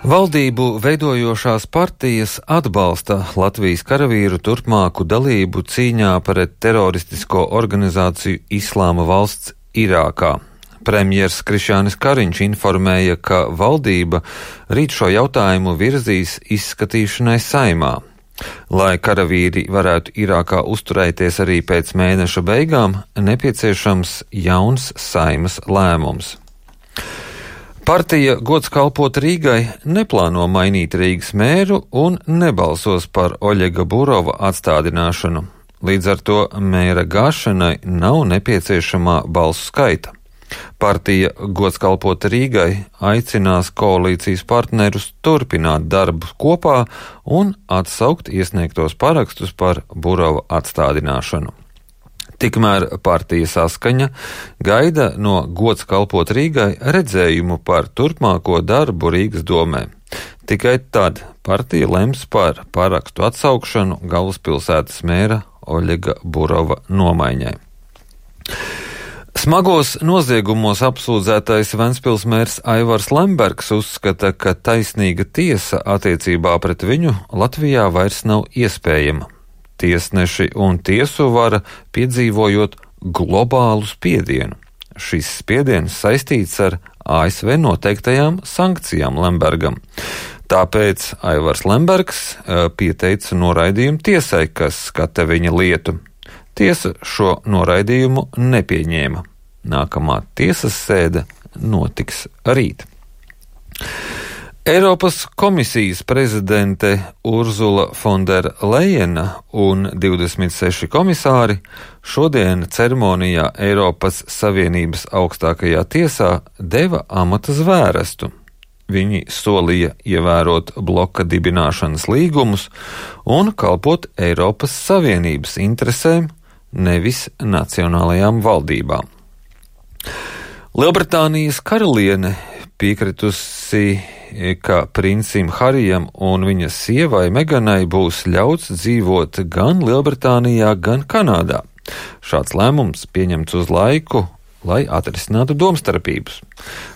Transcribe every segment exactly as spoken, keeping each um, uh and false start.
Valdību veidojošās partijas atbalsta Latvijas karavīru turpmāku dalību cīņā pret teroristisko organizāciju Islāma valsts Irākā. Premjers Krišjānis Kariņš informēja, ka valdība rīt šo jautājumu virzīs izskatīšanai Saeimā. Lai karavīri varētu Irākā uzturēties arī pēc mēneša beigām, nepieciešams jauns Saeimas lēmums. Partija Gods kalpot Rīgai neplāno mainīt Rīgas mēru un nebalsos par Oļega Burova atstādināšanu. Līdz ar to mēra gāšanai nav nepieciešamā balsu skaita. Partija Gods kalpot Rīgai aicinās koalīcijas partnerus turpināt darbu kopā un atsaukt iesniegtos parakstus par Burova atstādināšanu. Tikmēr partija Saskaņa gaida no Gods kalpot Rīgai redzējumu par turpmāko darbu Rīgas domē. Tikai tad partija lems par parakstu atsaukšanu galvaspilsētas mēra Oļega Burova nomaiņai. Smagos noziegumos apsūdzētais Ventspils mērs Aivars Lembergs uzskata, ka taisnīga tiesa attiecībā pret viņu Latvijā vairs nav iespējama. Tiesneši un tiesu vara piedzīvojot globālu spiedienu. Šis spiediens saistīts ar A S V noteiktajām sankcijām Lembergam. Tāpēc Aivars Lembergs pieteica noraidījumu tiesai, kas skata viņa lietu. Tiesa šo noraidījumu nepieņēma. Nākamā tiesas sēde notiks rīt. Eiropas komisijas prezidente Urzula Fondera Lejena un divdesmit seši komisāri šodien ceremonijā Eiropas Savienības augstākajā tiesā deva amata zvērestu. Viņi solīja ievērot bloka dibināšanas līgumus un kalpot Eiropas Savienības interesēm, nevis nacionālajām valdībām. Lielbritānijas karaliene piekritusi, ka princim Harijam un viņa sievai Meganai būs ļauts dzīvot gan Lielbritānijā, gan Kanādā. Šāds lēmums pieņemts uz laiku, lai atrisinātu domstarpības.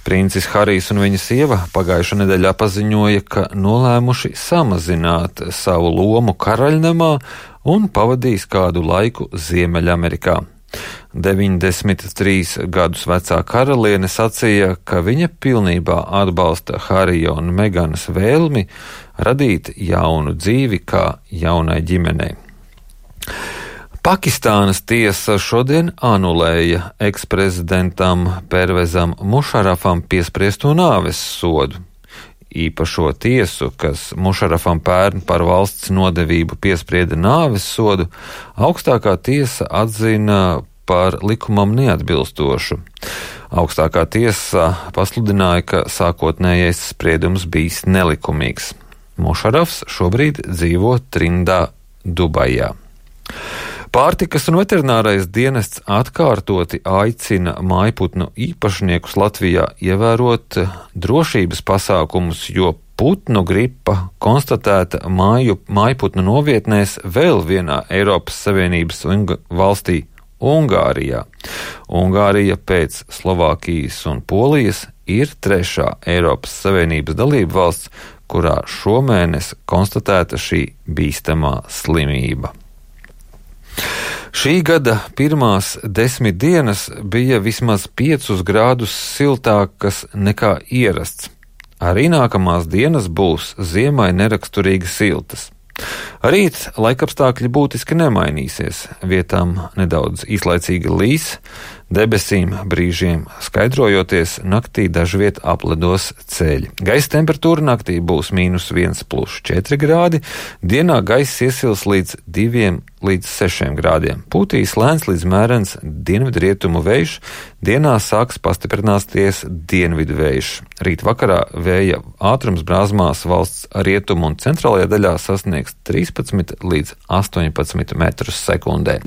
Princis Harijs un viņa sieva pagājušā nedēļā paziņoja, ka nolēmuši samazināt savu lomu karaļnamā un pavadīs kādu laiku Ziemeļamerikā. deviņdesmit trīs gadus vecā karaliene sacīja, ka viņa pilnībā atbalsta Harija un Meganas vēlmi radīt jaunu dzīvi kā jaunai ģimenei. Pakistānas tiesa šodien anulēja eksprezidentam Pervezam Mušarafam piespriesto nāves sodu. Īpašo tiesu, kas Mušarafam pērn par valsts nodevību piesprieda nāves sodu, augstākā tiesa atzina par likumam neatbilstošu. Augstākā tiesa pasludināja, ka sākotnējais spriedums bijis nelikumīgs. Mušarafs šobrīd dzīvo Trindā, Dubajā. Pārtikas un veterinārais dienests atkārtoti aicina mājputnu īpašniekus Latvijā ievērot drošības pasākumus, jo putnu gripa konstatēta māju, mājputnu novietnēs vēl vienā Eiropas Savienības valstī Ungārijā. Ungārija pēc Slovākijas un Polijas ir trešā Eiropas Savienības dalība valsts, kurā šomēnes konstatēta šī bīstamā slimība. Šī gada pirmās desmit dienas bija vismaz piecus grādus siltākas nekā ierasts. Arī nākamās dienas būs ziemai neraksturīgi siltas. Rīt laikapstākļi būtiski nemainīsies, vietām nedaudz īslaicīgi līs, debesīm brīžiem skaidrojoties, naktī dažviet apledos ceļi. Gaisa temperatūra naktī būs mīnus viens plus četri grādi, dienā gaiss iesils līdz diviem līdz sešiem grādiem. Pūtīs lēns līdz mērens dienvidrietumu vējš, dienā sāks pastiprināties dienvidu vējš. Rīt vakarā vēja ātrums brāzmās valsts rietumu un centrālajā daļā sasniegs trīspadsmit līdz astoņpadsmit metrus sekundē.